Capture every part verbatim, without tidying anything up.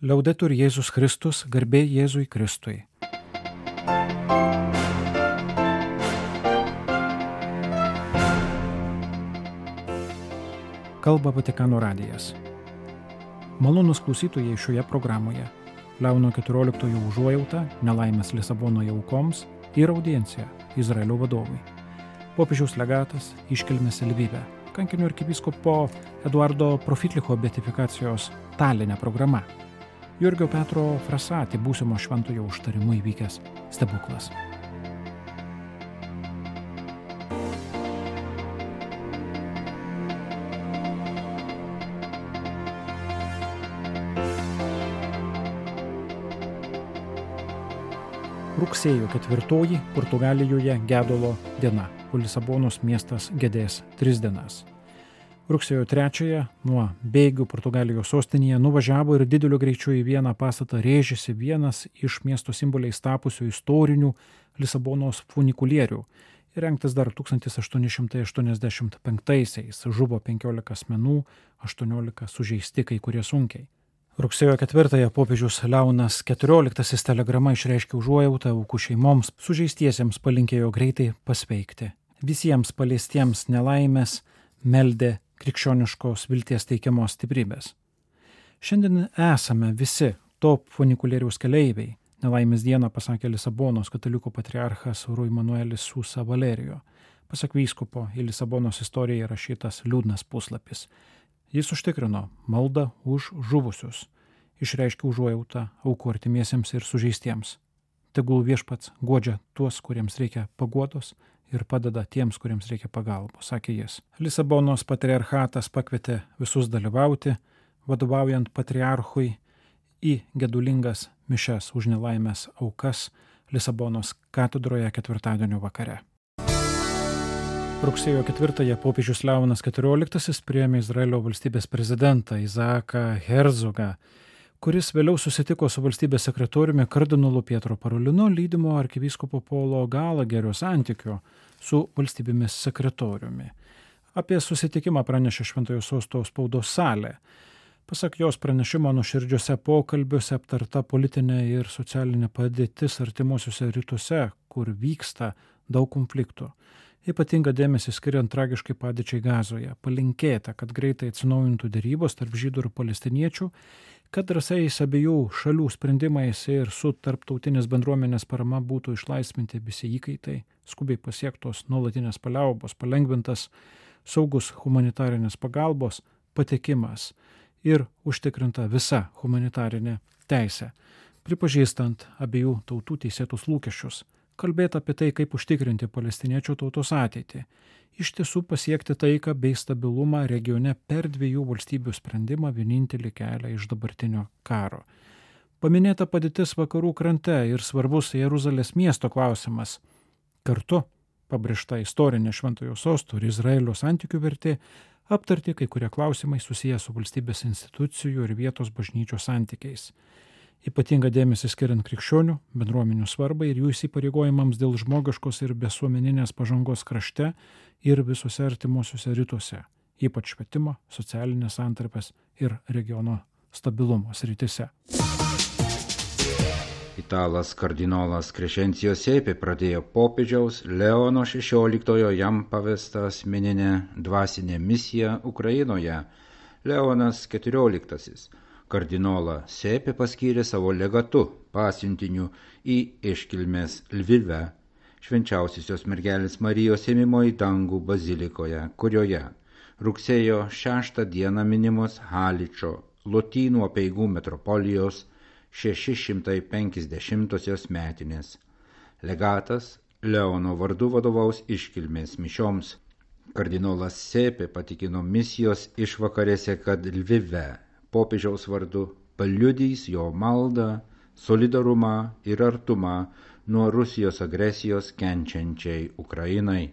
Liaudetur Jėzus Kristus, garbė Jėzui Kristui. Kalba Vatikano radijas. Malonūs klausytojai šioje programoje. Leono keturioliktojo užuojauta nelaimės Lisabonoje aukoms ir audiencija Izraelio vadovui. Popiežiaus legatas iškilmės Lvive. Kankinio arkivyskupo Eduardo Profitlicho beatifikacijos Taline programa. Jurgio Petro Frasati būsimo šventojo užtarimu įvykęs stebuklas. Rugsėjo ketvirtoji Portugalijoje gedulo diena, o Lisabonos miestas gedės tris dienas. Rugsėjo trečiąją nuo Bėgių Portugalijos sostinėje nuvažiavo ir dideliu greičiu į vieną pastatą rėžėsi vienas iš miesto simboliais tapusių istorinių Lisabonos funikulierių. Įrengtas dar tūkstantis aštuoni šimtai aštuoniasdešimt penktaisiais, žuvo penkiolika asmenų, aštuoniolika sužeisti, kai kurie sunkiai. Rugsėjo ketvirtąją popiežius Leonas keturioliktasis telegrama išreiškė užuojautą aukų šeimoms, sužeistiesiems palinkėjo greitai pasveikti. Visiems paliestiems nelaimės meldė krikščioniškos vilties teikiamos stiprybės. Šiandien esame visi to funikulieriaus keleiviai, nelaimės dieną pasakė Lisabonos katalikų patriarchas Rui Manuelis Susa Valerijo. Pasak vyskupo, į Lisabonos istoriją įrašytas liūdnas puslapis. Jis užtikrino maldą už žuvusius, išreiškė užuojautą aukų artimiesiems ir sužeistiems. Tegul viešpats guodžia tuos, kuriems reikia paguodos, ir padeda tiems, kuriems reikia pagalbos, sakė jis. Lisabonos patriarchatas pakvietė visus dalyvauti, vadovaujant patriarchui į gedulingas mišias už nelaimės aukas Lisabonos katedroje ketvirtadienio vakare. Rugsėjo ketvirtąją popiežius Leonas keturioliktasis priėmė Izraelio valstybės prezidentą Izaaką Herzogą, kuris vėliau susitiko su valstybės sekretoriumi kardinolu Pietro Parolinu, lydimo arkivyskupo Paulo Galagerio santykiu su valstybės sekretoriumi. Apie susitikimą pranešė Šventojo Sosto spaudos salė. Pasak jos pranešimo, nuoširdžiuose pokalbiuose aptarta politinė ir socialinė padėtis artimuosiuose rytuose, kur vyksta daug konfliktų. Ypatinga dėmesį skiriant tragiškai padėčiai Gazoje. Palinkėta, kad greitai atsinaujintų derybos tarp žydų ir palestiniečių, kad drąsiais abiejų šalių sprendimais ir su tarptautinės bendruomenės parama būtų išlaisvinti visi įkaitai, skubiai pasiektos nuolatinės paliaubos, palengvintas saugus humanitarinės pagalbos patekimas ir užtikrinta visa humanitarinė teisė, pripažįstant abiejų tautų teisėtus lūkesčius. Kalbėti apie tai, kaip užtikrinti palestiniečių tautos ateitį, iš tiesų pasiekti taiką bei stabilumą regione per dviejų valstybių sprendimą vienintelį kelią iš dabartinio karo. Paminėta padėtis vakarų krante ir svarbus Jeruzalės miesto klausimas. Kartu pabrėžta istorinė Šventojo Sosto ir Izraelio santykių vertė, aptarti kai kurie klausimai susiję su valstybės institucijų ir vietos bažnyčios santykiais. Ypatinga dėmesį skiriant krikščionių, bendruomenių svarbai ir jų įsipareigojimams dėl žmogiškos ir visuomeninės pažangos krašte ir visose artimuosiuose rytuose, ypač švietimo, socialinės santarpės ir regiono stabilumo srityse. Italas kardinolas Crescenzio Sepe pradėjo popiežiaus Leono šešioliktojo jam pavestą asmeninę dvasinę misiją Ukrainoje. Leonas keturioliktasis kardinolą Sepe paskyrė savo legatu pasiuntiniu į iškilmės Lvive, švenčiausiosios mergelės Marijos ėmimo į dangų bazilikoje, kurioje rugsėjo šeštą dieną minimos Haličo Lotynų apeigų metropolijos šeši šimtai penkiasdešimtosios metinės. Legatas Leono vardu vadovaus iškilmės mišioms. Kardinolas Sepe patikino misijos išvakarėse, kad Lvive popiežiaus vardu paliudys jo maldą, solidarumą ir artumą nuo Rusijos agresijos kenčiančiai Ukrainai.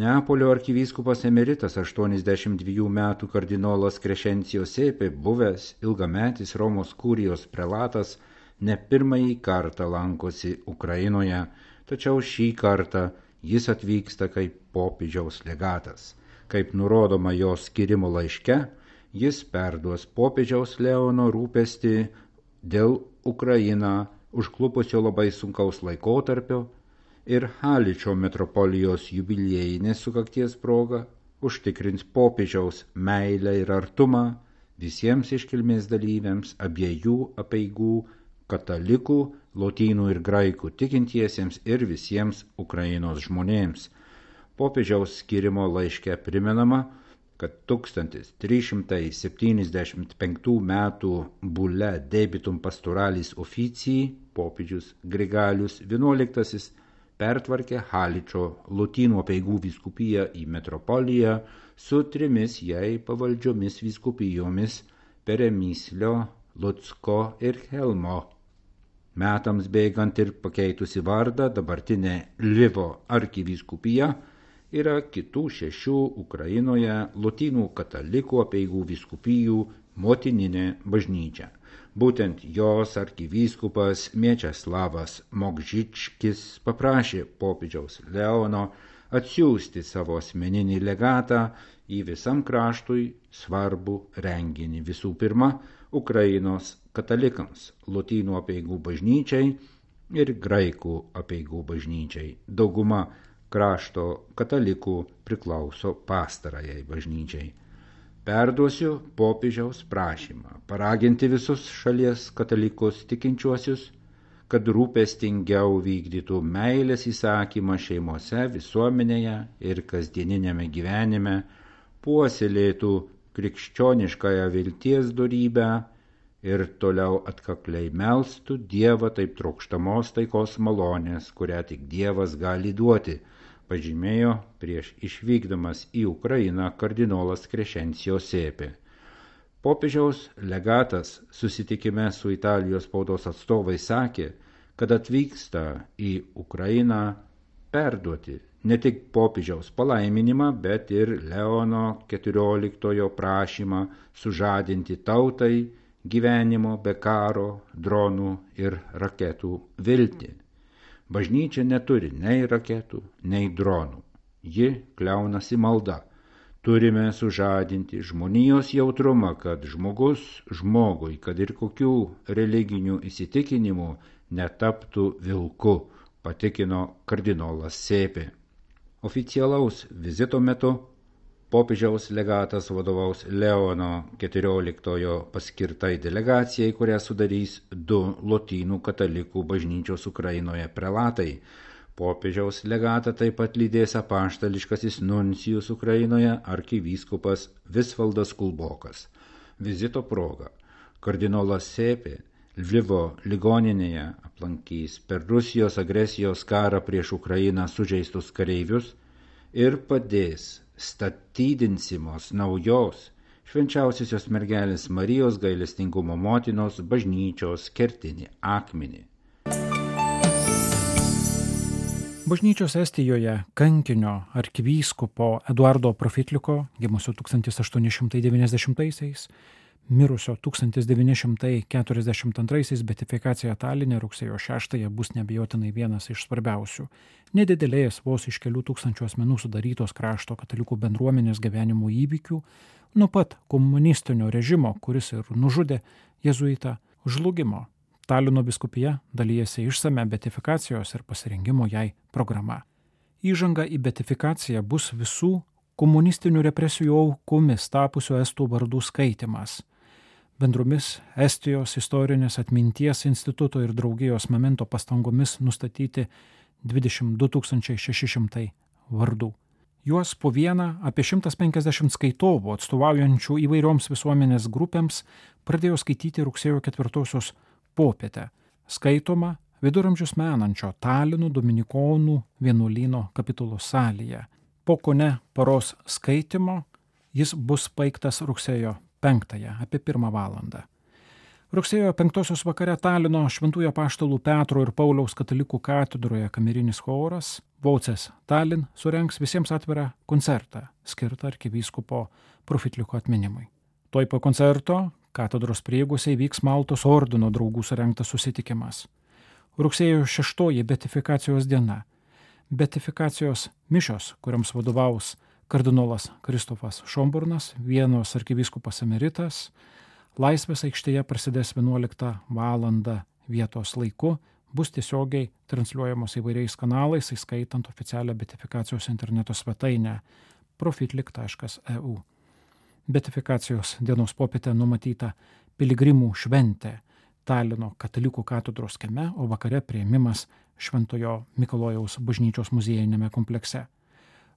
Neapolio arkivyskupas emeritas aštuoniasdešimt dviejų metų kardinolas Crescenzio Sepe, buvęs ilgametis Romos kurijos prelatas, ne pirmąjį kartą lankosi Ukrainoje, tačiau šį kartą jis atvyksta kaip popiežiaus legatas. Kaip nurodoma jo skyrimo laiške, jis perduos popiežiaus Leono rūpestį dėl Ukrainą užklupusio labai sunkaus laikotarpio ir Haličo metropolijos jubiliejinės sukakties proga užtikrins popiežiaus meilę ir artumą visiems iškilmės dalyviams abiejų apeigų katalikų, lotynų ir graikų tikintiesiems ir visiems Ukrainos žmonėms. Popiežiaus skirimo laiške primenama, kad tūkstantis trys šimtai septyniasdešimt penktų metų bulle Debitum Pastoralis Officii popiežius Grigalius vienuoliktasis pertvarkė Haličo lotynų apeigų vyskupiją į metropoliją su trimis jai pavaldžiomis vyskupijomis Peremyslio, Lucko ir Helmo. Metams bėgant ir pakeitusi vardą, dabartinė Lvivo arkivyskupija yra kitų šešių Ukrainoje lotynų katalikų apeigų vyskupijų motininė bažnyčia. Būtent jos arkivyskupas Miečeslavas Mogžičkis paprašė popiežiaus Leono atsiųsti savo asmeninį legatą į visam kraštui svarbų renginį. Visų pirma, Ukrainos katalikams, lotynų apeigų bažnyčiai ir graikų apeigų bažnyčiai. Dauguma krašto katalikų priklauso pastarajai bažnyčiai. Perduosiu popiežiaus prašymą paraginti visus šalies katalikus tikinčiuosius, kad rūpestingiau vykdytų meilės įsakymą šeimose, visuomenėje ir kasdieninėme gyvenime, puoselėtų krikščioniškąją vilties dorybę ir toliau atkakliai melstų Dievą taip trokštamos taikos malonės, kurią tik Dievas gali duoti, pažymėjo prieš išvykdamas į Ukrainą kardinolas Crescenzio Sepe. Popiežiaus legatas susitikime su Italijos spaudos atstovais sakė, kad atvyksta į Ukrainą perduoti ne tik popiežiaus palaiminimą, bet ir Leono keturioliktojo prašymą sužadinti tautai gyvenimo be karo, dronų ir raketų viltį. Bažnyčia neturi nei raketų, nei dronų. Ji kliaunasi malda. Turime sužadinti žmonijos jautrumą, kad žmogus žmogui, kad ir kokių religinių įsitikinimų, netaptų vilku, patikino kardinolas Sepe. Oficialaus vizito metu popiežiaus legatas vadovaus Leono keturioliktojo paskirtai delegacijai, kurią sudarys du lotynų katalikų bažnyčios Ukrainoje prelatai. Popiežiaus legatą taip pat lydės apaštališkasis nuncijus Ukrainoje arkivyskupas Visvaldas Kulbokas. Vizito proga kardinolas Sepe Lvivo ligoninėje aplankys per Rusijos agresijos karą prieš Ukrainą sužeistus kareivius ir padės statydinsimos naujos švenčiausiosios mergelės Marijos gailestingumo motinos bažnyčios kertinį akmenį. Bažnyčios Estijoje kankinio arkivyskupo Eduardo Profitliko, gimusio tūkstantis aštuoni šimtai devyniasdešimtaisiais, mirusio tūkstantis devyni šimtai keturiasdešimt antraisiais beatifikacija Taline rugsėjo šeštąją bus neabejotinai vienas iš svarbiausių, nedidelės vos iš kelių tūkstančių asmenų sudarytos krašto katalikų bendruomenės gyvenimo įvykių, nuo pat komunistinio režimo, kuris ir nužudė jėzuitą, žlugimo. Talino vyskupija dalyjasi išsame beatifikacijos ir pasirengimo jai programa. Įžanga į beatifikaciją bus visų komunistinių represijų aukomis tapusių estų vardų skaitimas. Bendromis Estijos istorinės atminties instituto ir draugijos Memento pastangomis nustatyti dvidešimt du tūkstančiai šeši šimtai vardų. Juos po vieną apie šimtas penkiasdešimt skaitovų atstovaujančių įvairioms visuomenės grupėms pradėjo skaityti rugsėjo ketvirtosios popietę, skaitoma viduramžius menančio Talino dominikonų vienuolyno kapitulos salėje. Po kone paros skaitimo jis bus baigtas rugsėjo penktąją, apie pirmą valandą. Rugsėjo penktosios vakare Talino Šventųjų apaštalų Petro ir Pauliaus katalikų katedroje kamerinis choras Voces Tallinn surengs visiems atvirą koncertą, skirtą arkivyskupo Profitliko atminimui. Tuoj po koncerto katedros prieigose įvyks Maltos ordino draugų surengtas susitikimas. Rugsėjo šeštoji beatifikacijos diena. Beatifikacijos mišios, kuriams vadovaus kardinolas Kristofas Šomburnas, Vienos arkivyskupas emeritas, Laisvės aikštėje prasidės vienuoliktą valandą vietos laiku, bus tiesiogiai transliuojamos įvairiais kanalais, įskaitant oficialią beatifikacijos interneto svetainę profitlik taškas e u. Beatifikacijos dienos popietę numatyta piligrimų šventė Talino katalikų katedros kieme, o vakare priėmimas Šventojo Mikalojaus bažnyčios muziejiniame komplekse.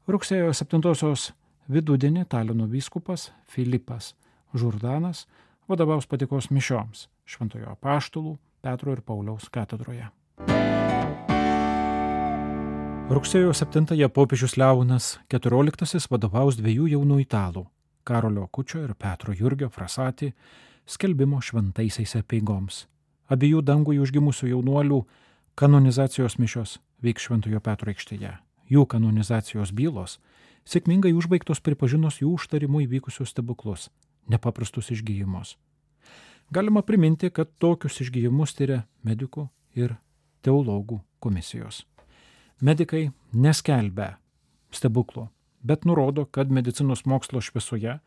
Rugsėjo septintosios vidudienį Talino vyskupas Filipas Žurdanas vadovaus patikos mišioms Šventojo Apaštalų Petro ir Pauliaus katedroje. Rugsėjo septintąją popiežius Leonas keturioliktasis vadovaus dviejų jaunų italų – Karolio Akučio ir Petro Jurgio Frasati skelbimo šventaisiais apeigoms. Abiejų dangui užgimusių jaunuolių kanonizacijos mišios vyks Šventojo Petro aikštėje. Jų kanonizacijos bylos sėkmingai užbaigtos pripažinus jų užtarimu įvykusius stebuklus – nepaprastus išgyjimus. Galima priminti, kad tokius išgyjimus tyria medikų ir teologų komisijos. Medikai neskelbia stebuklų, bet nurodo, kad medicinos mokslo šviesoje,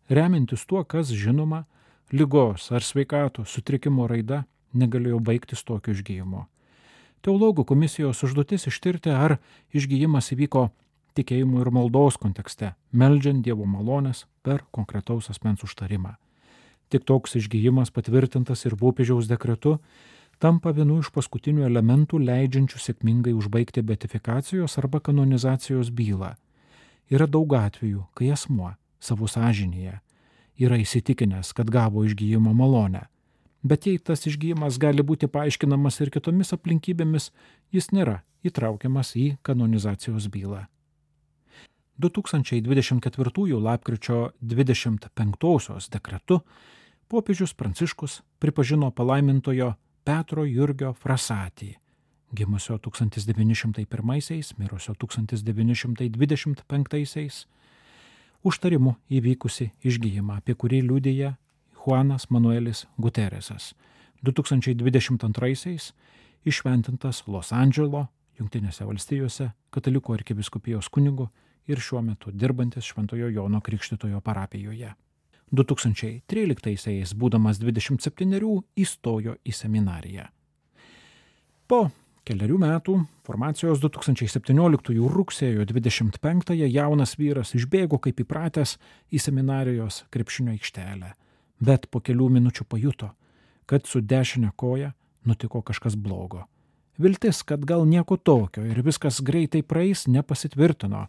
remiantis tuo, kas žinoma, ligos ar sveikatos sutrikimo raida negalėjo baigtis tokio išgyjimo. Teologų komisijos užduotis ištirti, ar išgyjimas įvyko tikėjimo ir maldos kontekste, meldžiant Dievo malonės per konkretaus asmens užtarimą. Tik toks išgyjimas patvirtintas ir popiežiaus dekretu tampa vienu iš paskutinių elementų leidžiančių sėkmingai užbaigti beatifikacijos arba kanonizacijos bylą. Yra daug atvejų, kai asmuo savo sąžinėje yra įsitikinęs, kad gavo išgyjimo malonę. Bet jei tas išgyjimas gali būti paaiškinamas ir kitomis aplinkybėmis, jis nėra įtraukiamas į kanonizacijos bylą. du tūkstančiai dvidešimt ketvirtųjų lapkričio dvidešimt penktosios dekretu popiežius Pranciškus pripažino palaimintojo Petro Jurgio Frasatį, gimusio tūkstantis devyni šimtai pirmaisiais, mirusio tūkstantis devyni šimtai dvidešimt penktaisiais, užtarimu įvykusi išgyjimą, apie kurį liudija Juanas Manuelis Guteresas, du tūkstančiai dvidešimt antraisiais išventintas Los Andželo, Jungtinėse valstijose, katalikų arkivyskupijos kunigu ir šiuo metu dirbantis Šventojo Jono Krikštytojo parapijoje. du tūkstančiai tryliktaisiais, būdamas dvidešimt septynerių, įstojo į seminariją. Po keliarių metų formacijos du tūkstančiai septynioliktųjų rugsėjo dvidešimt penktąją jaunas vyras išbėgo kaip įpratęs į seminarijos krepšinio aikštelę, bet po kelių minučių pajuto, kad su dešinė koja nutiko kažkas blogo. Viltis, kad gal nieko tokio ir viskas greitai praeis, nepasitvirtino.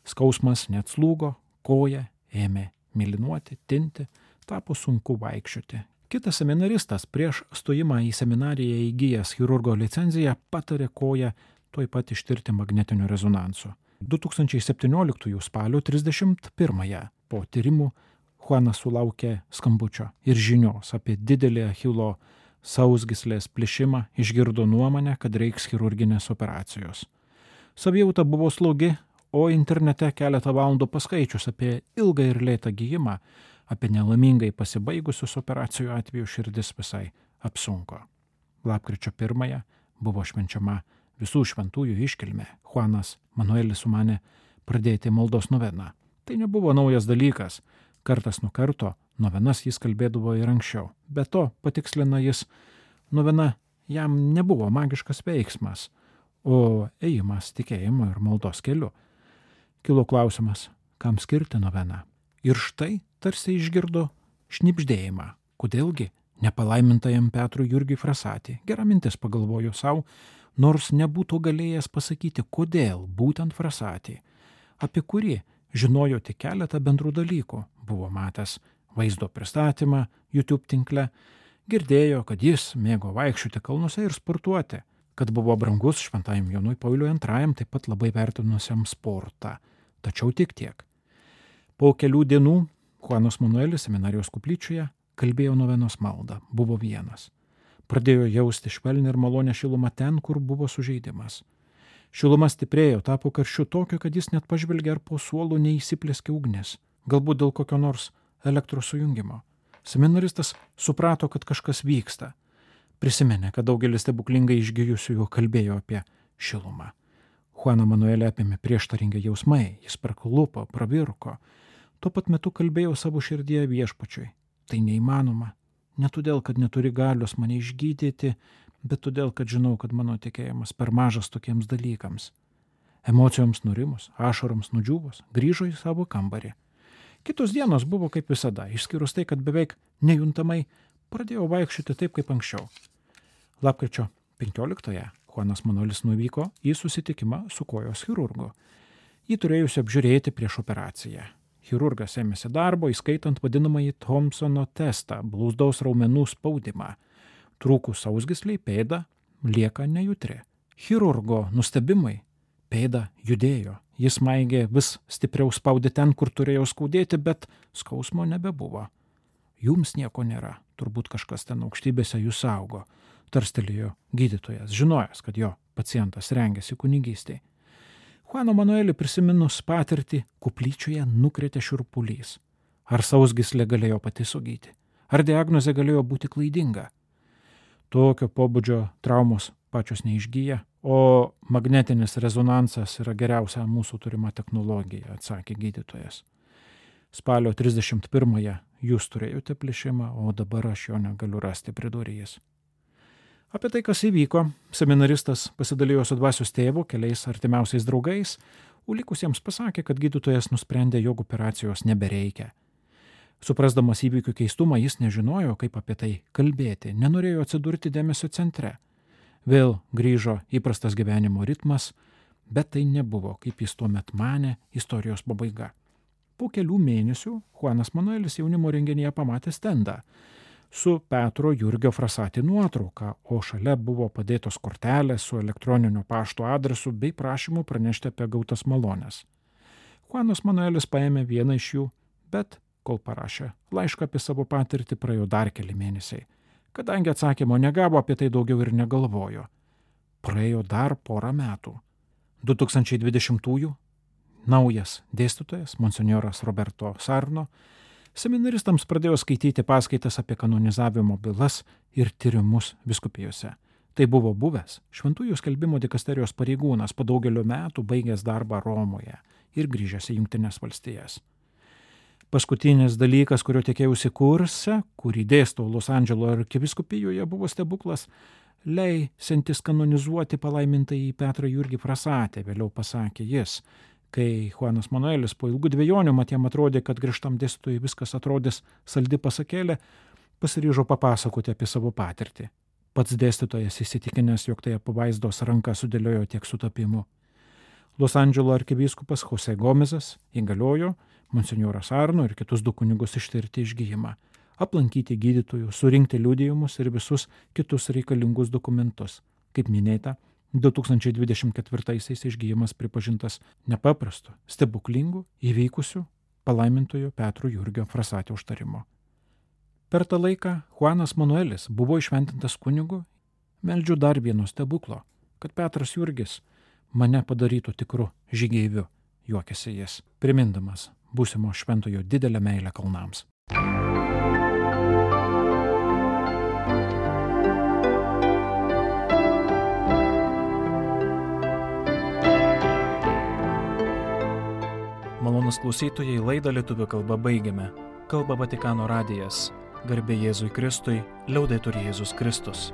Skausmas neatslūgo, koja ėmė mėlynuoti, tinti, tapo sunku vaikščioti. Kitas seminaristas prieš stojimą į seminariją įgijęs chirurgo licenciją patarė koją tuoj pat ištirti magnetinio rezonanso. du tūkstančiai septynioliktųjų spalio trisdešimt pirmąją po tyrimų Juanas sulaukė skambučio ir žinios apie didelį Achilo sausgyslės plyšimą, išgirdo nuomonę, kad reiks chirurginės operacijos. Savijauta buvo slogi, o internete keletą valandų paskaičius apie ilgą ir lėtą gijimą, apie nelaimingai pasibaigusius operacijų atveju širdis visai apsunko. Lapkričio pirmąją buvo švenčiama visų šventųjų iškilmė. Juanas Manuelis sumanė pradėti maldos noveną. Tai nebuvo naujas dalykas. Kartas nuo karto novenas jis kalbėdavo ir anksčiau. Be to, patikslina jis, novena jam nebuvo magiškas veiksmas, o ėjimas tikėjimo ir maldos keliu. Kilo klausimas, kam skirti noveną. Ir štai tarsi išgirdo šnibždėjimą. Kodėlgi nepalaimintajam Petrui Jurgiui Frasatį? Gera mintis, pagalvojo savo, nors nebūtų galėjęs pasakyti, kodėl būtent Frasatį, apie kurį žinojo tik keletą bendrų dalykų. Buvo matęs vaizdo pristatymą YouTube tinkle, girdėjo, kad jis mėgo vaikščioti kalnuose ir sportuoti, kad buvo brangus šventajam Jonui Pauliui antrajam, taip pat labai vertinusiam sportą. Tačiau tik tiek. Po kelių dienų Juanas Manuelis seminarijos koplyčioje kalbėjo novenos maldą, buvo vienas. Pradėjo jausti švelnią ir malonę šilumą ten, kur buvo sužeidimas. Šiluma stiprėjo, tapo karščiu tokio, kad jis net pažvelgė, ar po suolu neįsiplėskė ugnis, galbūt dėl kokio nors elektros sujungimo. Seminaristas suprato, kad kažkas vyksta. Prisiminė, kad daugelis stebuklingai išgijusiųjų kalbėjo apie šilumą. Juaną Manuelį apėmė prieštaringi jausmai, jis praklupo, pravirko. Tuo pat metu kalbėjo savo širdyje viešpačiui. Tai neįmanoma. Ne todėl, kad neturi galios mane išgydyti, bet todėl, kad žinau, kad mano tikėjimas per mažas tokiems dalykams. Emocijoms nurimus, ašaroms nudžiūvus, grįžo į savo kambarį. Kitos dienos buvo kaip visada, išskyrus tai, kad beveik nejuntamai pradėjau vaikščioti taip, kaip anksčiau. Lapkričio penkioliktąją Juanas Manuelis nuvyko į susitikimą su kojos chirurgu. Jį turėjusi apžiūrėti prieš operaciją. Chirurgas ėmėsi darbo, įskaitant vadinamąjį Thompsono testą, blūzdaus raumenų spaudimą. Trūkus sausgysliai pėda lieka nejutri. Chirurgo nustebimai pėda judėjo. Jis maigė vis stipriau spaudė ten, kur turėjo skaudėti, bet skausmo nebebuvo. Jums nieko nėra, turbūt kažkas ten aukštybėse jūs saugo, tarstelėjo gydytojas, žinojęs, kad jo pacientas rengėsi kunigystei. Juano Manuelį prisiminus patirtį, kuplyčioje nukrėtė šiurpulys. Ar sausgyslė galėjo pati sugyti? Ar diagnozė galėjo būti klaidinga? Tokio pobūdžio traumos pačios neišgyja, o magnetinis rezonansas yra geriausia mūsų turima technologija, atsakė gydytojas. Spalio trisdešimt pirmąją jūs turėjote plėšimą, o dabar aš jo negaliu rasti, pridūrė jis. Apie tai, kas įvyko, seminaristas pasidalijo su dvasios tėvu, keliais artimiausiais draugais, o likusiems pasakė, kad gydytojas nusprendė, jog operacijos nebereikia. Suprasdamas įvykių keistumą, jis nežinojo, kaip apie tai kalbėti, nenorėjo atsidurti dėmesio centre. Vėl grįžo įprastas gyvenimo ritmas, bet tai nebuvo, kaip jis tuomet manė, istorijos pabaiga. Po kelių mėnesių Juanas Manuelis jaunimo renginyje pamatė stendą su Petro Jurgio Frasati nuotrauka, o šalia buvo padėtos kortelės su elektroninio pašto adresu bei prašymu pranešti apie gautas malones. Juanas Manuelis paėmė vieną iš jų, bet kol parašė laišką apie savo patirtį, praėjo dar keli mėnesiai. Kadangi atsakymo negavo, apie tai daugiau ir negalvojo. Praėjo dar porą metų. du tūkstančiai dvidešimtųjų naujas dėstytojas, monsinjoras Roberto Sarno, seminaristams pradėjo skaityti paskaitas apie kanonizavimo bylas ir tyrimus vyskupijose. Tai buvo buvęs šventųjų skelbimo dikasterijos pareigūnas, po daugelio metų baigęs darbą Romoje ir grįžęs į Jungtines valstijas. Paskutinis dalykas, kurio tikėjausi kurse, kurį dėstau Los Andželo arkivyskupijoje, buvo stebuklas, leisiantis kanonizuoti palaimintąjį Petrą Jurgį Frasatį, vėliau pasakė jis. Kai Juanas Manuelis po ilgų dvejonių mat jam atrodė, kad griežtam dėstytojui viskas atrodys saldi pasakėlė, pasiryžo papasakoti apie savo patirtį. Pats dėstytojas įsitikinęs, jog tai apvaizdos ranka sudėliojo tiek sutapimų. Los Andželo arkivyskupas Jose Gomezas įgaliojo monsinjorą Sarno ir kitus du kunigus ištirti išgijimą, aplankyti gydytojų, surinkti liudijimus ir visus kitus reikalingus dokumentus. Kaip minėta, du tūkstančiai dvidešimt ketvirtaisiais išgijimas pripažintas nepaprastu, stebuklingu, įvykusiu palaimintojo Petro Jurgio Frasatio užtarimo. Per tą laiką Juanas Manuelis buvo įšventintas kunigu, meldžiu dar vieno stebuklo, kad Petras Jurgis mane padarytų tikru žygeiviu, juokėsi jis, primindamas būsimo šventojo didelę meilę kalnams. Malonus klausytojai, laidą lietuvių kalba baigiame. Kalba Vatikano radijas. Garbė Jėzui Kristui, liaudetur Jėzus Kristus.